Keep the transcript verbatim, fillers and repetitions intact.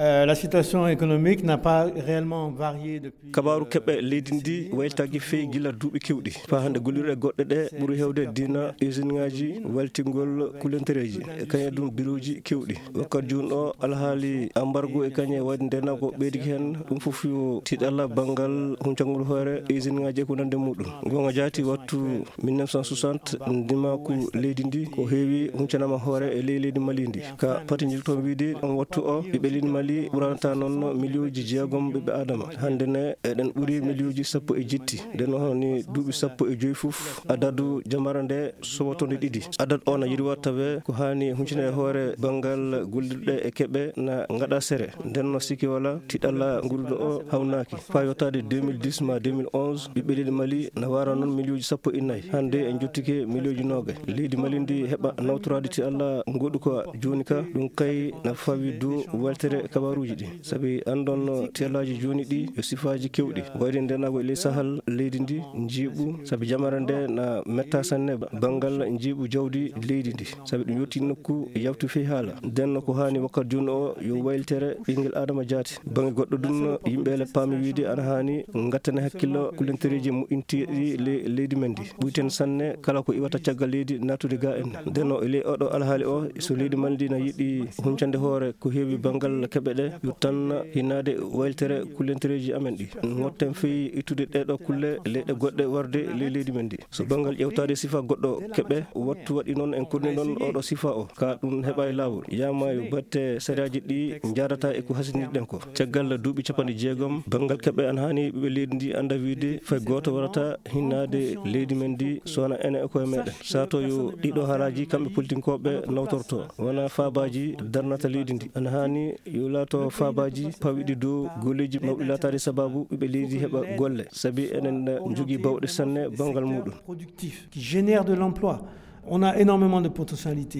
Euh, la situation économique n'a pas réellement varié depuis. Kabaaru keɓe leydi ndi wayltaaki feyi gila duuɓi keewɗi. Faa hannde gollirɗe goɗɗe ɗe ɓuri heewde dina usine ŋaaji waltingol kulentereeji, e kañe ɗum birooji keewɗi. Wakkati jooni o, alhaali ambargo e kañe waɗi ndenaango ɓeydiki heen, ɗum fof yo tiiɗalla banngal huncangol hoore usine ŋaaji e ko nandi e muɗum. Goonga jaati, wattu mille neuf cent soixante, ndimaaku leydi ndi ko heewi huncanaama hoore e ley leydi Mali ndi. Ka pati njiltoon wiide, on wattu o, ɓiɓɓe leydi Mali ɓuranata noon miliyuuji jeegom ɓiɓɓe Aadama. Hannde ne, eɗen ɓuri miliyuuji sappo e jetti. Nden hono ni duuɓi sappo e joy fof, adadu jamara nde sowotonde ɗiɗi. Adadu o na yirwa tawe ko haani huncine e hoore banngal gollirɗe e keɓe na ngaɗa sere. Nden no sikki wala tiɗalla nguruɗo o hawnaaki. Faa yottaade deux mille dix ma deux mille onze, ɓiɓɓe leydi Mali na wara noon miliyuuji sappo e nayi. Hannde en jottike miliyuuji noogay. Leydi Mali ndi heɓa nawtoraade tiɗalla ngoɗu ko jooni ka, ɗum kay na fawi dow weltere kabaaruuji ɗi. Sabi anndon no tiɗallaaji jooni ɗi yo sifaaji keewɗi. Wayde ndenaango e ley Sahal leydi ndi njiiɓu, sabi jamara nde na metta sanne banngal njiiɓu jawdi leydi ndi. Sabi ɗum yottii nokku yawti fii haala. Nden no ko haani wakkati jooni o yo wayltere ɓinngel Aadama jaati. Bannge goɗɗo ɗum, yimɓe ele paami wiide ana haani ngattane hakkillo kulentereeji moƴƴinteeɗi le-, leydi men ndi. Ɓuyten sanne kala ko iwata caggal leydi naatude ga en. Nden no e ley oɗo alhaali o, so leydi men ndi na yiɗi huncande hoore ko heewi banngal keɓe ɗe, yo tan hinnaade wayltere kulentereeji amen ɗi. Ngotten fii ittude ɗeɗo kulle leyɗe goɗɗe warde ley leydi men ndi. So banngal ƴewtaade sifa goɗɗo keɓe, wattu waɗi noon en korni noon oɗo sifa o, ka ɗum heɓa e laawol. Yama yo batte sariyaaji ɗi njaadata e ko hasinirɗen ko. Caggal duuɓi capanɗe jeegom, banngal keɓe ana haani ɓiɓɓe leydi ndi annda wiide fay gooto warata hinnaade leydi men ndi so wona ene e koye meɗen. Sato yo ɗiɗo haalaaji kamɓe politinkooɓe nawtorto, wona faabaaji darnata leydi ndi. Ana haani yo laato faabaaji pawiɗi dow golleeji mawɗi laataade sababu ɓiɓɓe leydi heɓa golle, sabi enen njogii bawɗe sanne banngal muɗum. Productif, qui génère de l'emploi. On a énormément de potentialités.